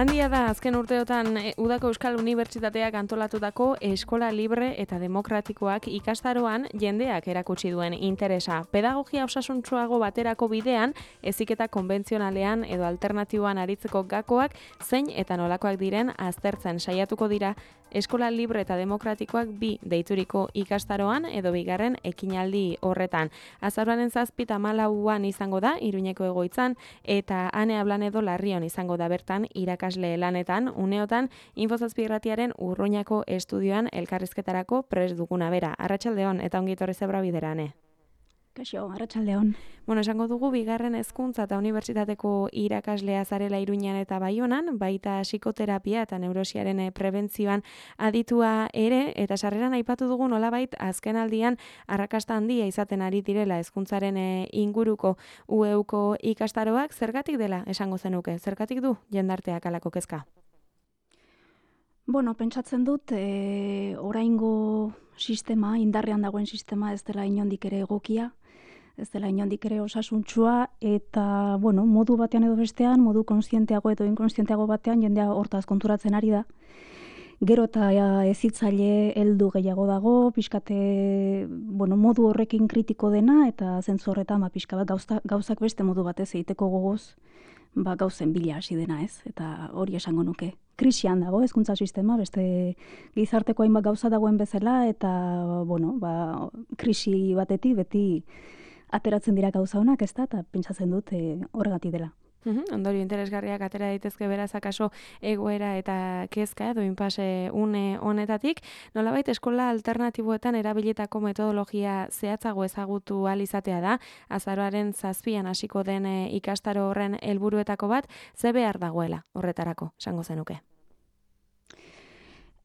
Handia da azken urteotan Udako Euskal Unibertsitateak antolatutako eskola libre eta demokratikoak ikastaroan jendeak erakutsi duen interesa. Pedagogia osasuntsuago baterako bidean, heziketa konbentzionalean edo alternatiboan aritzeko gakoak zein eta nolakoak diren aztertzen saiatuko dira eskola libre eta demokratikoak bi deituriko ikastaroan edo bigarren ekinaldi horretan. Azaroaren 7 eta 14 izango da Iruñeko egoitzan eta Ane Ablanedo Larrion izango da bertan irakasle lanetan, uneotan Info7 irratiaren Urruñako estudioan elkarrizketarako prest duguna bera. Arratsaldeon eta ongi etorri zebra biderane. Kaixo, arratsaldeon. Esango dugu bigarren hezkuntza eta unibertsitateko irakaslea zarela Iruñan eta Baionan, baita psikoterapia eta neurosiaren prebentzioan aditua ere, eta sarreran aipatu dugu nolabait azkenaldian arrakasta handia izaten ari direla hezkuntzaren inguruko UEUko ikastaroak, zergatik dela esango zenuke, zergatik du jendarteak halako kezka? Pentsatzen dut, oraingo sistema, indarrean dagoen sistema ez dela inondik ere egokia, ez dela inondik ere osasuntsua, eta, modu batean edo bestean, modu konstienteago edo inkonstienteago batean, jendea hortaz konturatzen ari da. Gero eta hezitzaile heldu gehiago dago, pixkate, modu horrekin kritiko dena, eta zentzu horretan, pixka bat gauzak beste modu batez egiteko gogoz, gauzen bila hasi dena, ez? Eta hori esango nuke. Krisian dago hezkuntza sistema, beste gizarteko hainbat gauza dagoen bezala, eta, krisi batetik beti ateratzen dira gauza honak, ez da, eta pentsatzen dut horregatik dela. Ondorio interesgarriak atera daitezke beraz akaso egoera eta kezka edo inpase une honetatik. Nolabait eskola alternatiboetan erabilitako metodologia zehatzago ezagutu ahal izatea da. Azaroaren 7 hasiko den ikastaro horren helburuetako bat, ze behar dagoela horretarako, esango zenuke.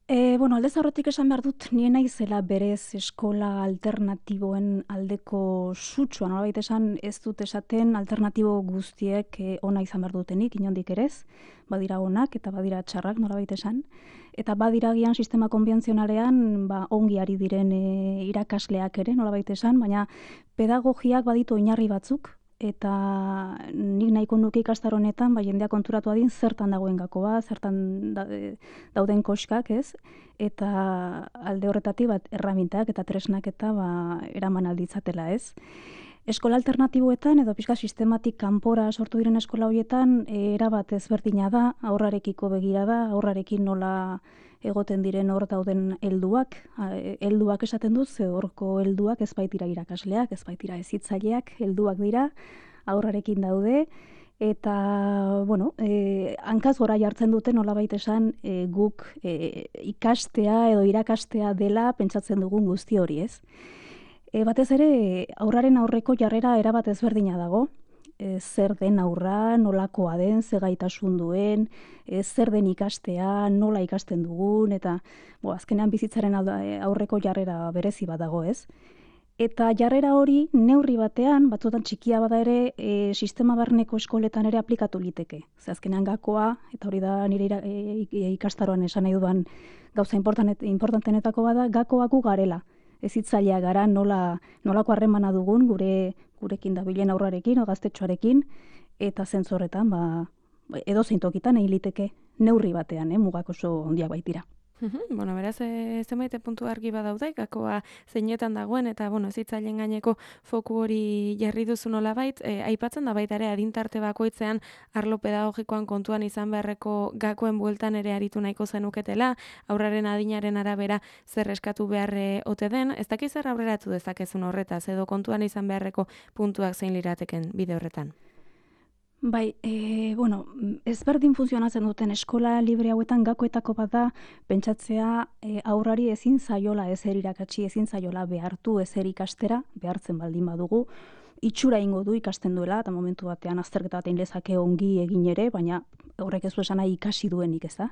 Aldez aurretik esan behar dut, nien naizela berez eskola alternatiboen aldeko sutsua, nolabait esan ez dut esaten alternatibo guztiek ona izan behar dutenik, inondik erez, badira onak eta badira txarrak nolabait esan, eta badira gian sistema konbentzionalean ongi ari diren irakasleak ere nolabait esan, baina pedagogiak baditu oinarri batzuk, eta nik nahiko nuke ikastaro honetan, jendeak konturatu adin zertan dagoen gakoa, zertan dauden koskak, ez? Eta alde horretatik erramintak eta tresnak eta eraman alditzatela, ez? Eskola alternatiboetan edo pixka sistematik kanpora sortu diren eskola horietan erabat ezberdina da, aurrarekiko begira da, aurrarekin nola egoten diren hor dauden helduak esaten dut, ze horko helduak ez baitira irakasleak, ez baitira hezitzaileak, helduak dira, aurrarekin daude, eta, hankaz gora jartzen dute nolabait esan guk ikastea edo irakastea dela pentsatzen dugun guzti hori, ez? Batez ere, aurraren aurreko jarrera erabat ezberdina dago, zer den aurra, nolakoa den, ze gaitasun duen, zer den ikastea, nola ikasten dugun, eta azkenean bizitzaren aurreko jarrera berezi bat dago, ez? Eta jarrera hori neurri batean, batzutan txikia bada ere, sistema barneko eskoletan ere aplikatu liteke. Ze azkenean gakoa, eta hori da nire ikastaroan esan nahi dudan gauza importantenetako bada, gakoa gu garela. Hezitzailea gara nolako harremana dugun gurekin dabilen aurrarekin, gaztetxoarekin, eta zentzu horretan, edozein tokitan egin liteke neurri batean, mugak oso handiak baitira. Beraz, zenbait puntu argi badaude, gakoa zeinetan dagoen, eta, hezitzaileen gaineko foku hori jarri duzu nolabait, aipatzen da baita ere adintarte bakoitzean arlo pedagogikoan kontuan izan beharreko gakoen bueltan ere aritu nahiko zenuketela, aurraren adinaren arabera zer eskatu behar ote den, ez dakiz zer aurreratu dezakezun horretaz, edo kontuan izan beharreko puntuak zein lirateken bide horretan? Ezberdin funtzionatzen duten eskola libre hauetan gakoetako bat da pentsatzea aurrari ezin zaiola ezer irakatsi, ezin zaiola behartu ezer ikastera, behartzen baldin badugu, itxura ingo du ikasten duela, eta momentu batean azterketa batean lezake ongi egin ere, baina horrek ez du esan nahi ikasi duenik, ez da?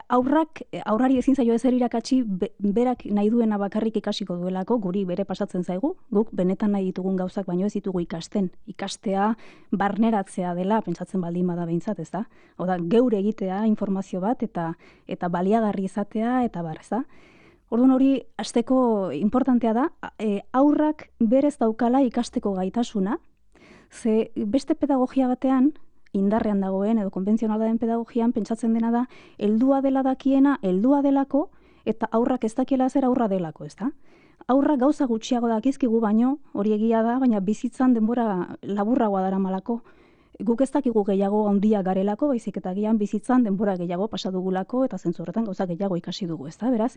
Aurrari ezin zaio ezer irakatsi berak nahi duena bakarrik ikasiko duelako, guri bere pasatzen zaigu, guk benetan nahi ditugun gauzak baino ez ditugu ikasten. Ikastea barneratzea dela, pentsatzen baldin bada behintzat, ez da? Hau da, geure egitea informazio bat eta baliagarri izatea eta bar, ez da? Orduan hori hasteko importantea da, aurrak berez daukala ikasteko gaitasuna, ze beste pedagogia batean indarrean dagoen edo konbentzionala den pedagogian pentsatzen dena da heldua dela dakiena, heldua delako eta aurrak ez dakiela zer aurra delako, ezta? Aurrak gauza gutxiago dakizkigu baino, hori egia da, baina bizitzan denbora laburragoa daramalako. Guk ez dakigu gehiago handia garelako, baizik eta gian bizitzan denbora gehiago pasa dugulako eta zentzu horretan gauza gehiago ikasi dugu, ezta? Beraz,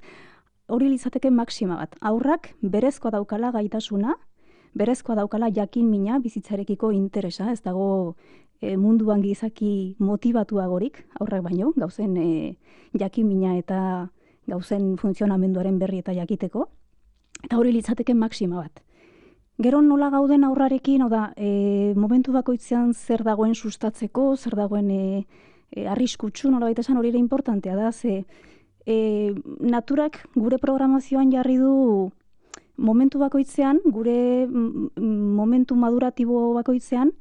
hori litzateke maxima bat. Aurrak berezkoa daukala gaitasuna, berezkoa daukala jakin mina bizitzarekiko interesa, ez dago munduan gizaki motivatuagorik, aurrak baino, gauzen jakin mina eta gauzen funtzionamenduaren berri eta jakiteko, eta hori litzateke maxima bat. Gero nola gauden aurrarekin, momentu bakoitzean zer dagoen sustatzeko, zer dagoen arriskutsu, nolabait esan hori ere importantea da, ze naturak gure programazioan jarri du momentu bakoitzean, gure momentu maduratibo bakoitzean,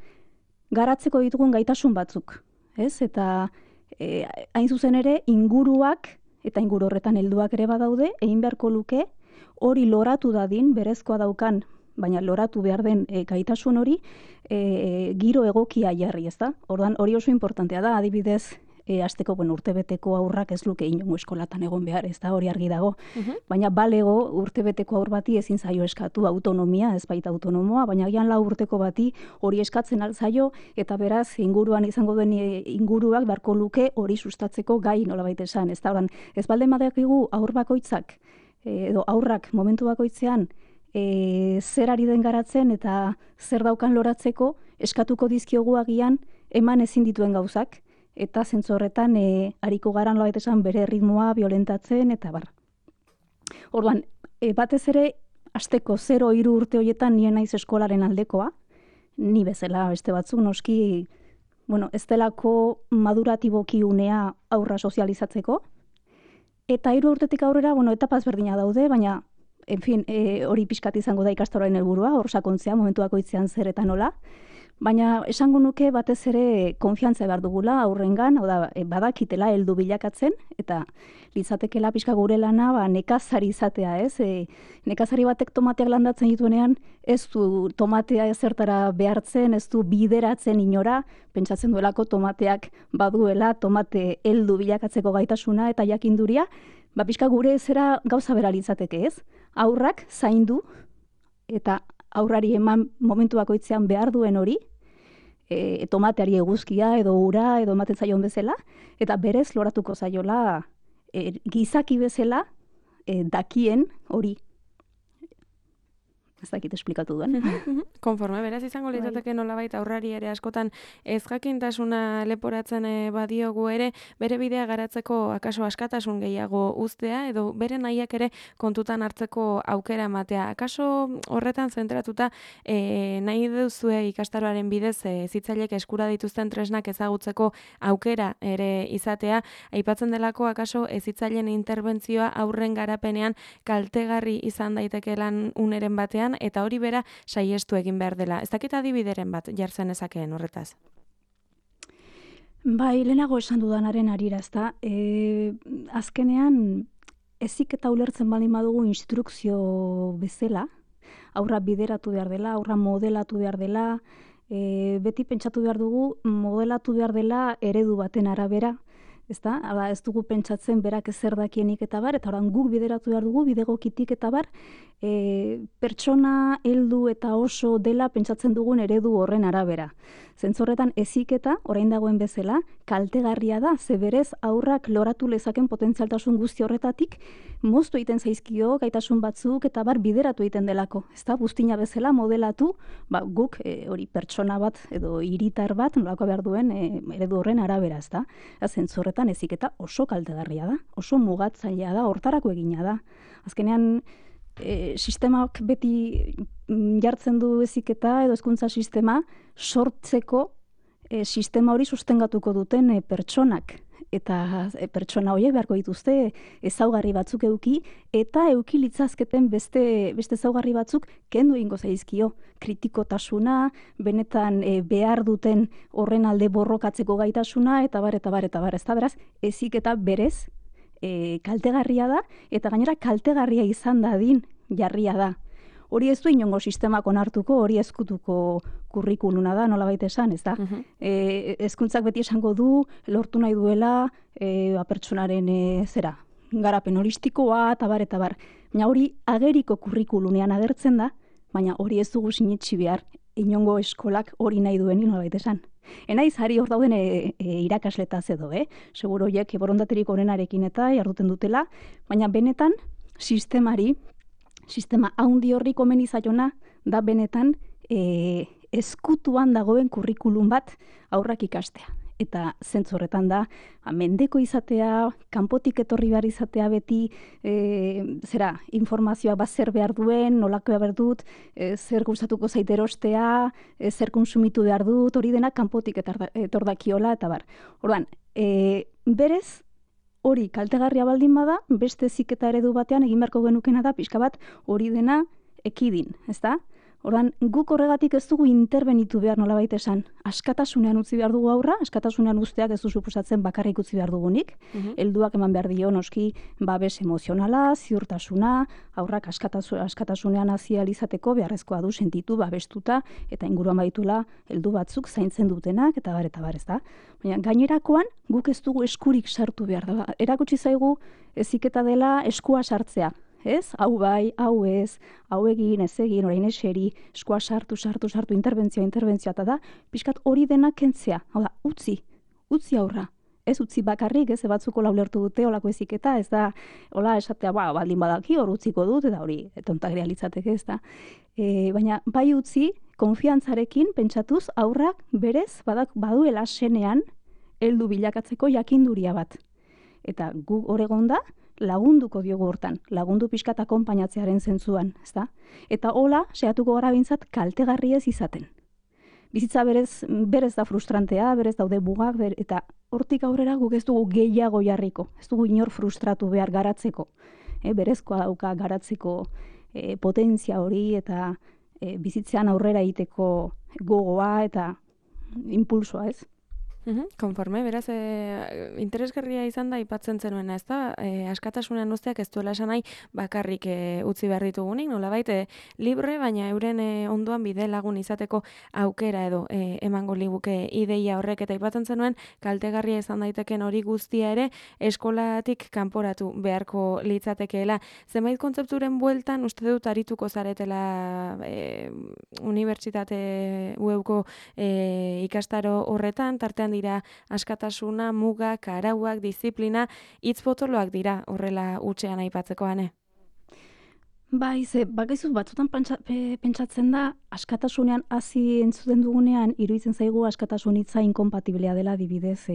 garatzeko ditugun gaitasun batzuk, ez? Eta hain zuzen ere, inguruak, eta inguru horretan helduak ere badaude, egin beharko luke, hori loratu dadin, berezkoa daukan, baina loratu behar den gaitasun hori, giro egokia jarri, ez da? Ordan hori oso importantea da, adibidez, hasteko urtebeteko aurrak ez luke inongo eskolatan egon behar, ez da, hori argi dago. Baina balego urtebeteko aur bati ezin zaio eskatu autonomia, ez baita autonomoa, baina gian 4 urteko bati hori eskatzen alzaio, eta beraz inguruan izango den inguruak beharko luke hori sustatzeko gai nolabait esan, ez da. Ordan ez balde badakigu aur bakoitzak, edo aurrak momentu bakoitzean, zer ari den garatzen eta zer daukan loratzeko eskatuko dizkiogu agian eman ezin dituen gauzak, eta zentzu horretan ariko garan nolabait esan bere ritmoa biolentatzen eta bar. Orduan, batez ere hasteko 0-3 urte horietan nien naiz eskolaren aldekoa, ni bezala beste batzuk noski, ez delako maduratiboki unea aurra sozializatzeko, eta 3 urtetik aurrera, etapa ezberdina daude, baina hori pixkat izango da ikastaroaren helburua, hor sakontzea momentu bakoitzean zer eta nola, baina esango nuke batez ere konfiantza behar dugula aurrengan, badakitela heldu bilakatzen, eta litzatekela pixka gure lana nekazari izatea, ez? Nekazari batek tomateak landatzen dituenean, ez du tomatea ezertara behartzen, ez du bideratzen inora, pentsatzen duelako tomateak baduela, tomate heldu bilakatzeko gaitasuna eta jakinduria, pixka gure zera gauza bera litzateke, ez? Aurrak zaindu eta aurrari eman momentu bakoitzean behar duen hori, tomateari eguzkia edo ura edo ematen zaion bezala, eta berez loratuko zaiola gizaki bezala dakien hori. Ez dakit esplikatu duen. Konforme, beraz izango litzateke nolabait aurrari ere askotan ez jakintasuna leporatzen badiogu ere, bere bidea garatzeko akaso askatasun gehiago uztea, edo bere nahiak ere kontutan hartzeko aukera ematea. Akaso horretan zentratuta nahi duzue ikastaroaren bidez zitzailek eskura dituzten tresnak ezagutzeko aukera ere izatea, aipatzen delako akaso zitzailen interbentzioa aurren garapenean kaltegarri izan daitekelan uneren batean, eta hori bera saiestu egin behar dela. Ez dakit adibideren bat jartzen ezakeen horretaz? Bai, lehenago esan dudanaren arira, ezta. Azkenean, ezik eta ulertzen baldin badugu instrukzio bezala, aurra bideratu behar dela, aurra modelatu behar dela, beti pentsatu behar dugu modelatu behar dela eredu baten arabera, ezta? Ez dugu pentsatzen berak zer dakienik eta bar, eta orain guk bideratu behar dugu bidegokitik eta bar, pertsona heldu eta oso dela pentsatzen dugun eredu horren arabera. Zentzorretan eziketa, orain dagoen bezala, kaltegarria da, ze berez aurrak loratu lezaken potentzialtasun guzti horretatik, moztu egiten zaizkio gaitasun batzuk eta bar bideratu egiten delako. Ezta, guztina bezala modelatu, guk hori pertsona bat edo hiritar bat nolako behar duen eredu horren arabera, ezta. Zentzorretan eziketa oso kaltegarria da, oso mugatzailea da, hortarako egina da. Azkenean, sistemak beti jartzen du eziketa edo hezkuntza sistema sortzeko sistema hori sustengatuko duten pertsonak. Eta pertsona horiek beharko dituzte ezaugarri batzuk eduki eta eduki litzazketen beste ezaugarri batzuk kendu egingo zaizkio. Kritikotasuna, benetan behar duten horren alde borrokatzeko gaitasuna eta bar. Ez da beraz, eziketa berez kaltegarria da, eta gainera kaltegarria izan dadin jarria da. hori ez du inongo sistemak onartuko, hori ezkutuko kurrikuluna da, nolabait esan, ez da? Hezkuntzak beti esango du, lortu nahi duela pertsonaren zera, garapen holistikoa, eta bar. Baina hori ageriko kurrikulunean agertzen da, baina hori ez dugu sinetsi behar, inongo eskolak hori nahi duen nolabait esan. Enaiz hari hor dauden irakasletaz edo, seguro horiek borondaterik onenarekin eta jarduten dutela, baina benetan sistema haundi horri komeni zaiona da benetan eskutuan dagoen kurrikulum bat aurrak ikastea. Eta zentzu horretan da, mendeko izatea, kanpotik etorri behar izatea beti, informazioa bat zer behar duen, nolakoa behar dut, zer gustatuko zait erostea, zer konsumitu behar dut, hori dena kanpotik etor dakiola, eta bar. Orduan, berez, hori kaltegarria baldin bada, beste heziketa eredu batean egin beharko genukena da, pixka bat hori dena ekidin, ezta? Orduan, guk horregatik ez dugu interbenitu behar nolabait esan. Askatasunean utzi behar dugu aurra, askatasunean usteak ez du suposatzen bakarrik utzi behar dugunik. Helduak eman behar dio noski babes emozionala, ziurtasuna, aurrak askatasunean hasi ahal izateko beharrezkoa du sentitu babestuta eta inguruan baituela heldu batzuk zaintzen dutenak eta bar, ez da? Baina gainerakoan guk ez dugu eskurik sartu behar da. Erakutsi zaigu heziketa dela eskua sartzea. Ez? Hau bai, hau ez, hau egin, ez egin, orain eseri, eskua sartu, interbentzioa, eta da, pixkat hori dena kentzea. Hau da, utzi aurra. Ez utzi bakarrik, ez batzuko laulertu dute olako heziketa, ez da, hola esatea, baldin badaki, hor utziko dut, eta hori tontagria litzateke, ez da. Baina, bai utzi, konfiantzarekin, pentsatuz, aurrak berez, baduela senean, heldu bilakatzeko jakinduria bat. Eta gu oregon da, lagunduko diogu hortan, lagundu pixkat akonpainatzearen zentzuan, ezta? Eta hola, saiatuko gara bintzat kaltegarri ez izaten. Bizitza berez da frustrantea, berez daude mugak, eta hortik aurrera guk ez dugu gehiago jarriko, ez dugu inor frustratu behar garatzeko. Berezkoa dauka garatzeko potentzia hori eta bizitzean aurrera egiteko gogoa eta impulsoa, ez? Konforme, beraz, interesgarria izan da ipatzen zenuena, ez da? Askatasunean usteak ez duela esan nahi bakarrik utzi behar ditugunik, nolabait libre, baina euren ondoan bide lagun izateko aukera edo emango liguke ideia horrek, eta ipatzen zenuen kaltegarria izan daiteken hori guztia ere eskolatik kanporatu beharko litzatekeela. Zenbait kontzepturen bueltan uste dut arituko zaretela unibertsitate UEUko ikastaro horretan, tartean dira askatasuna, mugak, arauak, disiplina, hitz potoloak dira horrela hutsean aipatzekoan. Bai, bakaizu batzutan pentsatzen da, askatasunean hasi entzuten dugunean, iruditzen zaigu askatasun hitza inkompatiblea dela adibidez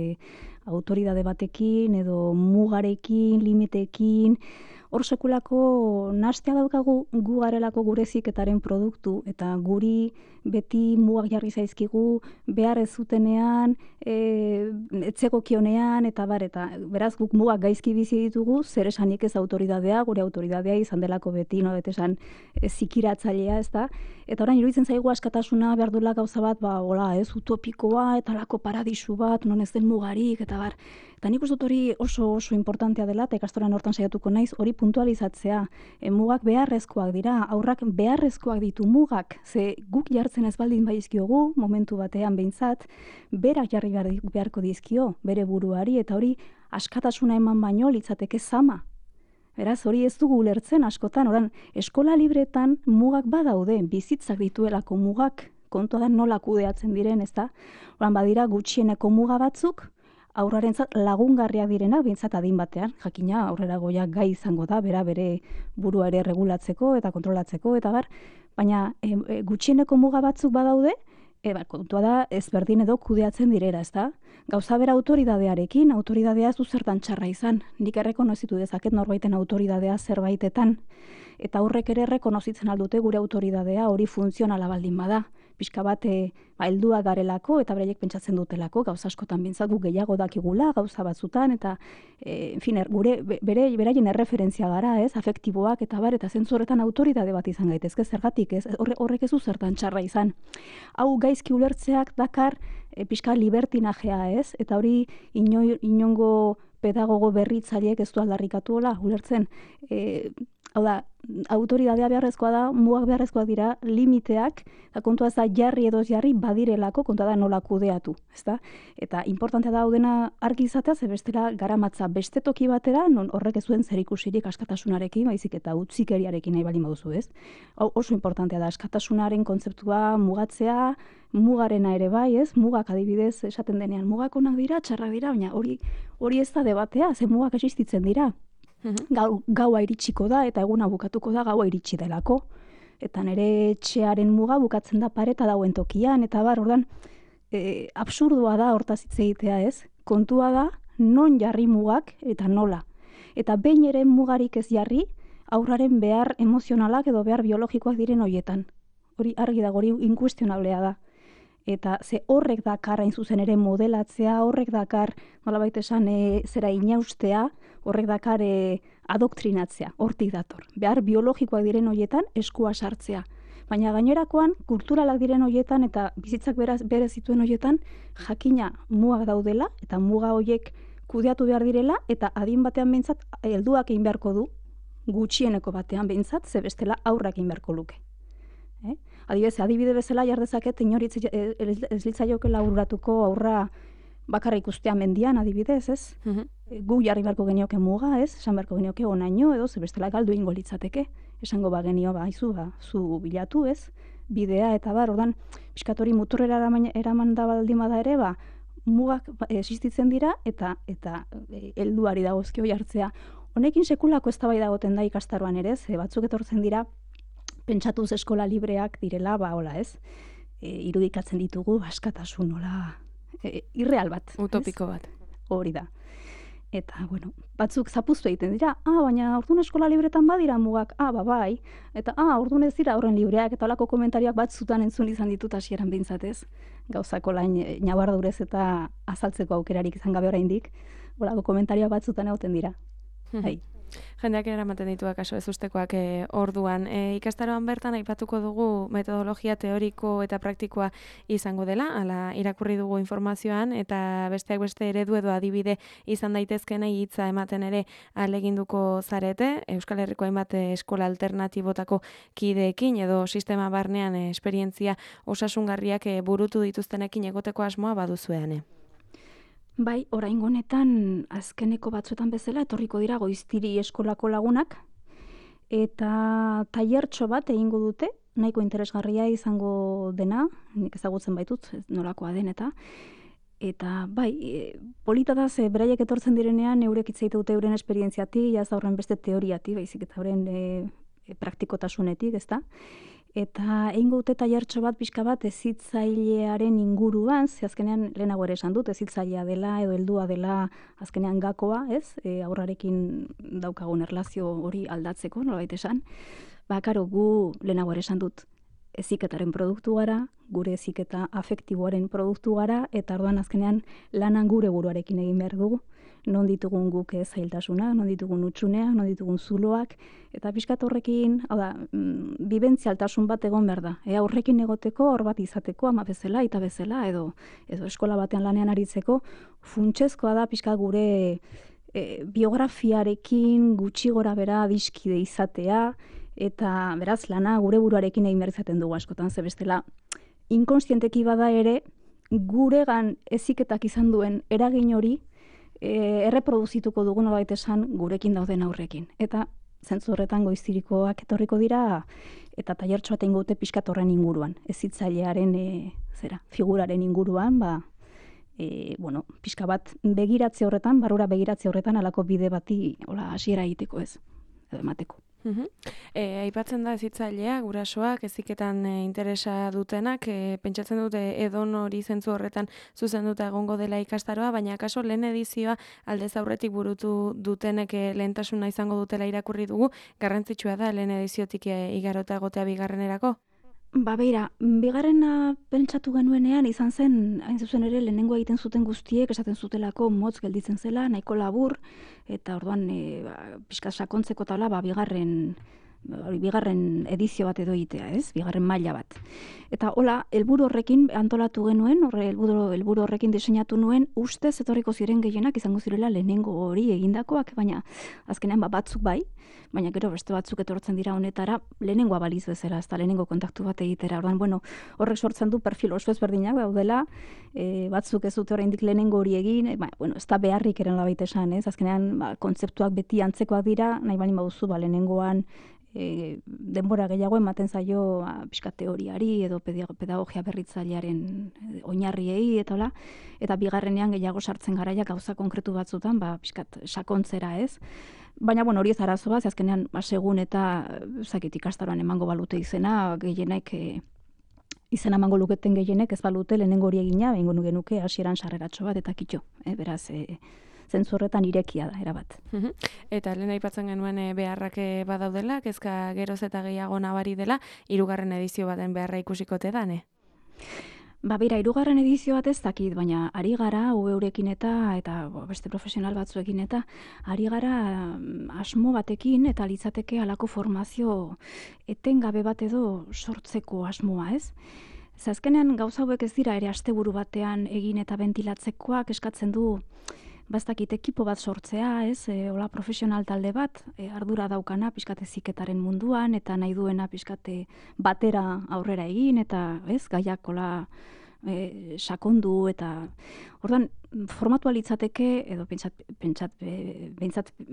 autoridade batekin edo mugarekin, limiteekin. Hor sekulako nastea daukagu gu garelako gure heziketaren produktu eta guri beti mugak jarri zaizkigu behar ez zutenean, etzegokionean eta beraz guk mugak gaizki bizi ditugu, zer esanik ez autoridadea, gure autoridadea izan delako beti, esan zikiratzailea, ez da? Eta orain iruditzen zaigu askatasuna behar duela gauza bat, ez utopikoa eta lako paradisu bat, non ez den mugarik eta bar. Eta nik uste dut hori oso importantea dela, eta ikastoran hortan saiatuko naiz, hori puntualizatzea. Mugak beharrezkoak dira, aurrak beharrezkoak ditu mugak, ze guk jartzen ez baldin baizkiogu, momentu batean behintzat, berak jarri beharko dizkio, bere buruari, eta hori askatasuna eman baino litzateke zama. Beraz, hori ez dugu ulertzen askotan, oran, eskola libretan mugak badaude, bizitzak dituelako mugak, kontua da nola kudeatzen diren, ez da? Oran, badira gutxieneko muga batzuk, aurrarentzat lagungarriak direnak, behintzat adin batean, jakina aurrera goiak gai izango da, bere burua ere regulatzeko eta kontrolatzeko, eta baina gutxieneko muga batzuk badaude, kontua da ezberdin edo kudeatzen direra, ez da? Gauza bera autoridadearekin, autoridadea ez du zertan txarra izan. Nik errekonozitu dezaket norbaiten autoridadea zerbaitetan. Eta horrek ere errekonozitzen aldute gure autoridadea hori funtzionala baldin bada. Pixka bat helduak garelako eta bereiek pentsatzen dutelako, gauza askotan bintzat gu gehiago dakigula, gauza batzutan, eta beraien erreferentzia gara, ez, afektiboak eta zentzu horretan autoridade bat izan gaitezke, zergatik, ez, horrek ez du zertan txarra izan. Hau gaizki ulertzeak dakar pixka libertinajea, ez, eta hori inongo pedagogo berritzaileek ez du aldarrikatu hola, ulertzen, Hau da, autoridadea beharrezkoa da, mugak beharrezkoak dira, limiteak, eta kontua ez da jarri edo ez jarri badirelako, kontua da nola kudeatu, ezta? Eta importantea da hau dena argi izatea, ze bestela garamatza beste toki batera, non horrek ez zuen zerikusirik askatasunarekin, baizik eta utzikeriarekin nahi baldin baduzu, ez? Hau oso importantea da, askatasunaren kontzeptua mugatzea, mugarena ere bai, ez? Mugak adibidez esaten denean, mugak onak dira, txarrak dira, baina hori ez da debatea, ze mugak existitzen dira. Gaua iritsiko da eta eguna bukatuko da gaua iritsi delako. Eta nire etxearen muga bukatzen da pareta dauen tokian, eta ordan absurdua da hortaz hitz egitea, ez? Kontua da non jarri mugak eta nola. Eta behin ere mugarik ez jarri, aurraren behar emozionalak edo behar biologikoak diren hoietan. Hori argi da, hori inkuestionablea da. Eta ze horrek dakar hain zuzen ere modelatzea, horrek dakar, nolabait esan, zera inaustea, horrek dakar adoktrinatzea, hortik dator. Behar biologikoak diren hoietan eskua sartzea. Baina gainerakoan, kulturalak diren hoietan eta bizitzak bere zituen hoietan, jakina mugak daudela eta muga hoiek kudeatu behar direla eta adin batean behintzat helduak egin beharko du, gutxieneko batean behintzat, ze bestela aurrak egin beharko luke. Adibide bezala jar dezaket inori ez litzaiokela aurratuko aurra bakarra ikustea mendian, adibidez, ez? Gu jarri beharko genioke muga, ez? Esan beharko genioke onaino edo ze bestela galdu egingo litzateke. Esango genio zu bilatu, ez? Bidea eta ordan pixkat hori muturrera eraman da baldin bada ere, mugak existitzen dira eta helduari dagozkio jartzea. Honekin sekulako eztabaida egoten da ikastaroan ere, ze batzuk etortzen dira pentsatuz eskola libreak direla, hola, ez? Irudikatzen ditugu askatasun, hola, irreal bat. Utopiko bat. Hori da. Eta, batzuk zapuztu egiten dira, baina ordun eskola libretan badira mugak, bai, eta ordun ez dira horren libreak, eta holako komentarioak batzutan entzun izan ditut hasieran behintzatez, gauzako lain nabardurez eta azaltzeko aukerarik izan gabe oraindik, holako komentarioak batzutan egoten dira. Jendeak eramaten ditu akaso ez ustekoak orduan. Ikastaroan bertan aipatuko dugu metodologia teoriko eta praktikoa izango dela, ala irakurri dugu informazioan, eta besteak beste eredu edo adibide izan daitezkenei hitza ematen ere ahaleginduko zarete, Euskal Herriko hainbat eskola alternatibotako kideekin edo sistema barnean esperientzia osasungarriak burutu dituztenekin egoteko asmoa baduzuean. Bai, oraingo honetan azkeneko batzuetan bezala etorriko dira Goiztiri eskolako lagunak eta tailertxo bat egingo dute, nahiko interesgarria izango dena, nik ezagutzen baitut, nolakoa den eta bai, polita da ze beraiek etortzen direnean eurek hitz egite dute euren esperientziatik, jaz horren beste teoriatik, baizik eta euren praktikotasunetik, ezta? Eta egingo dute tailertxo bat pixka bat hezitzailearen inguruan, ze azkenean lehenago ere esan dut, hezitzailea dela edo heldua dela azkenean gakoa, ez? Aurrarekin daukagun erlazio hori aldatzeko, nolabait esan. Karo, gu lehenago ere esan dut, heziketaren produktu gara, gure heziketa afektiboaren produktu gara, eta orduan azkenean lanan gure buruarekin egin behar dugu. Non ditugun guk zailtasunak, non ditugun hutsuneak, non ditugun zuloak, eta pixkat horrekin, bibentzialtasun bat egon behar da. Horrekin egoteko, hor bat izateko, ama bezala, eta bezala, edo eskola batean lanean aritzeko, funtsezkoa da pixkat gure biografiarekin gutxi gora bera adiskide izatea, eta beraz lana gure buruarekin egin behar izaten dugu askotan, ze bestela inkonstienteki bada ere, guregan heziketak izan duen eragin hori, erreproduzituko dugu nolabait esan gurekin dauden aurrekin. Eta zentzu horretan Goiztirikoak etorriko dira eta tailertxo bat egingo dute pixkat horren inguruan. Hezitzailearen figuraren inguruan, pixka bat begiratze horretan, barrura begiratze horretan halako bide bati hasiera egiteko ez, edo emateko. Aipatzen da hezitzailea, gurasoak, heziketan interesa dutenak, pentsatzen dute edon hori zentzu horretan zuzenduta egongo dela ikastaroa, baina akaso lehen edizioa aldez aurretik burutu dutenek lehentasuna izango dutela irakurri dugu, garrantzitsua da lehen ediziotik igarota egotea bigarrenerako? Beira, bigarrena pentsatu genuenean izan zen, hain zuzen ere lehenengo egiten zuten guztiek, esaten zutelako motz gelditzen zela, nahiko labur, eta orduan pixka sakontzeko tala, bigarren edizio bat edo egitea, ez? Bigarren maila bat. Eta hola, helburu horrekin antolatu genuen, helburu horrekin diseinatu nuen, ustez etorriko ziren gehienak izango zirela lehenengo hori egindakoak, baina azkenean batzuk bai, baina gero beste batzuk etortzen dira honetara lehenengoa baliz bezala, ez da lehenengo kontaktu bat egitera. Orduan, bueno, horrek sortzen du perfil oso ezberdinak daudela, batzuk ez dute oraindik lehenengo hori egin, bueno, ez da beharrik eren labait esan, ez? Azkenean, kontzeptuak beti antzekoak dira, nahi bali baduzu, lehenengoan denbora gehiago ematen zaio pixka teoriari edo pedagogia berritzailearen oinarriei eta hola, eta bigarrenean gehiago sartzen garaia gauza konkretu batzutan, pixkat sakontzera, ez? Baina, bueno, hori ez arazoa, azkenean, segun eta ikastaroan emango balute izena, gehienek izena emango luketen gehienek ez balute lehenengo hori egina, behingo genuke hasieran sarreratxo bat eta kitxo, beraz, zentzu horretan irekia da, erabat. Eta lehen aipatzen genuen beharrak badaudela, kezka geroz eta gehiago nabari dela, 3. edizio baten beharra ikusikote da, ne? Bira, 3. edizio bat ez dakit, baina ari gara UEurekin eta beste profesional batzuekin eta ari gara asmo batekin eta litzateke halako formazio etengabe bat edo sortzeko asmoa, ez? Azkenean gauza hauek ez dira ere asteburu batean egin eta ventilatzekoak eskatzen du bastakit ekipo bat sortzea, ez? Hola profesional talde bat, ardura daukana pixkate ziketaren munduan eta nahi duena pixkate batera aurrera egin eta, ez? Gaiak hola sakondu eta orduan formatua litzateke edo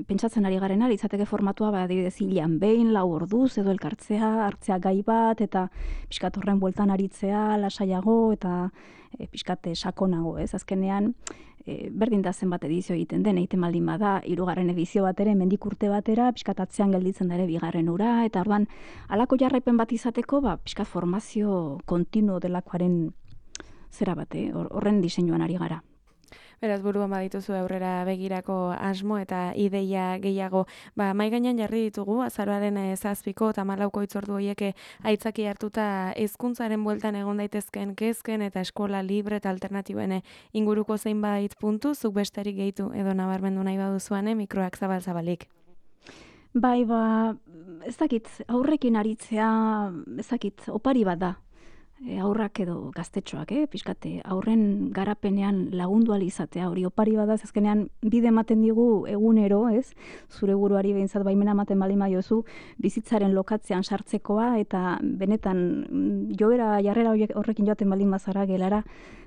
pentsatzen ari garena litzateke formatua adibidez hilean behin 4 orduz edo elkartzea, hartzea gai bat eta pixkat horren bueltan aritzea lasaiago eta pixkate sakonago, ez? Azkenean berdin da zenbat edizio egiten den, egiten baldin bada, 3. edizio bat ere, hemendik urte batera, pixkat atzean gelditzen da ere 2. ura, eta orduan, halako jarraipen bat izateko, pixkat formazio kontinuo delakoaren zera bat, horren diseinuan ari gara. Beraz, buruan badituzu aurrera begirako asmo eta ideia gehiago. Mahai gainean jarri ditugu, azaroaren 7ko eta 14ko hitzordu horiek aitzaki hartuta hezkuntzaren bueltan egon daitezken kezken eta eskola libre eta alternatiboen inguruko zeinbait puntu, zuk besterik gehitu edo nabarmendu nahi baduzuane, mikroak zabal-zabalik. Bai, ez dakit, aurrekin aritzea, ez dakit, opari bat da. Aurrak edo gaztetxoak, pixkate, aurren garapenean lagundu izatea, hori opari bada, azkenean bide ematen digu egunero, ez? Zure buruari behintzat baimena ematen baldin badiozu bizitzaren lokatzean sartzekoa eta benetan jarrera horrekin joaten baldin bazara gelara,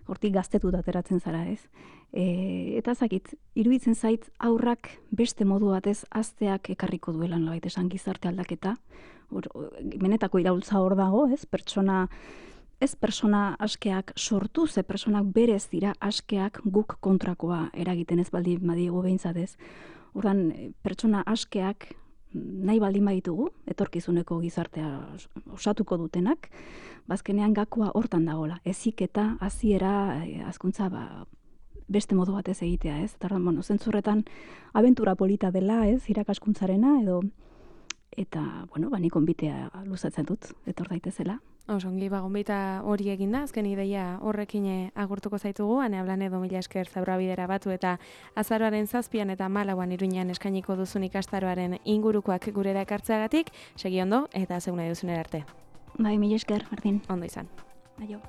hortik gaztetuta ateratzen zara, ez? Eta zakit, iruditzen zait aurrak beste modu batez azteak ekarriko duelan nolabait esan gizarte aldaketa. Benetako iraultza hor dago, ez? Ez persona askeak sortu, ze personak berez dira askeak guk kontrakoa eragiten ez baldin badiegu behintzat ez. Ordan pertsona askeak nahi baldin baditugu, etorkizuneko gizartea osatuko dutenak, bazkenean gakoa hortan dagoela. Heziketa, hasiera, hazkuntza beste modu batez egitea, ez? Eta bueno, zentzurretan abentura polita dela, ez? Irakaskuntzarena edo eta bueno, nik gonbitea luzatzen dut, etor daitezela. Osongi, gonbita hori eginda, azken ideia horrekin agurtuko zaitugu, Ane Ablanedo, mila esker Zaurabidera batu eta azaroaren 7an eta 14an Iruñean eskainiko duzun ikastaroaren ingurukoak gurera ekartzeagatik, segi ondo eta zeun nahi duzunera arte. Bai, mila esker, Martin. Ondo izan. Aio.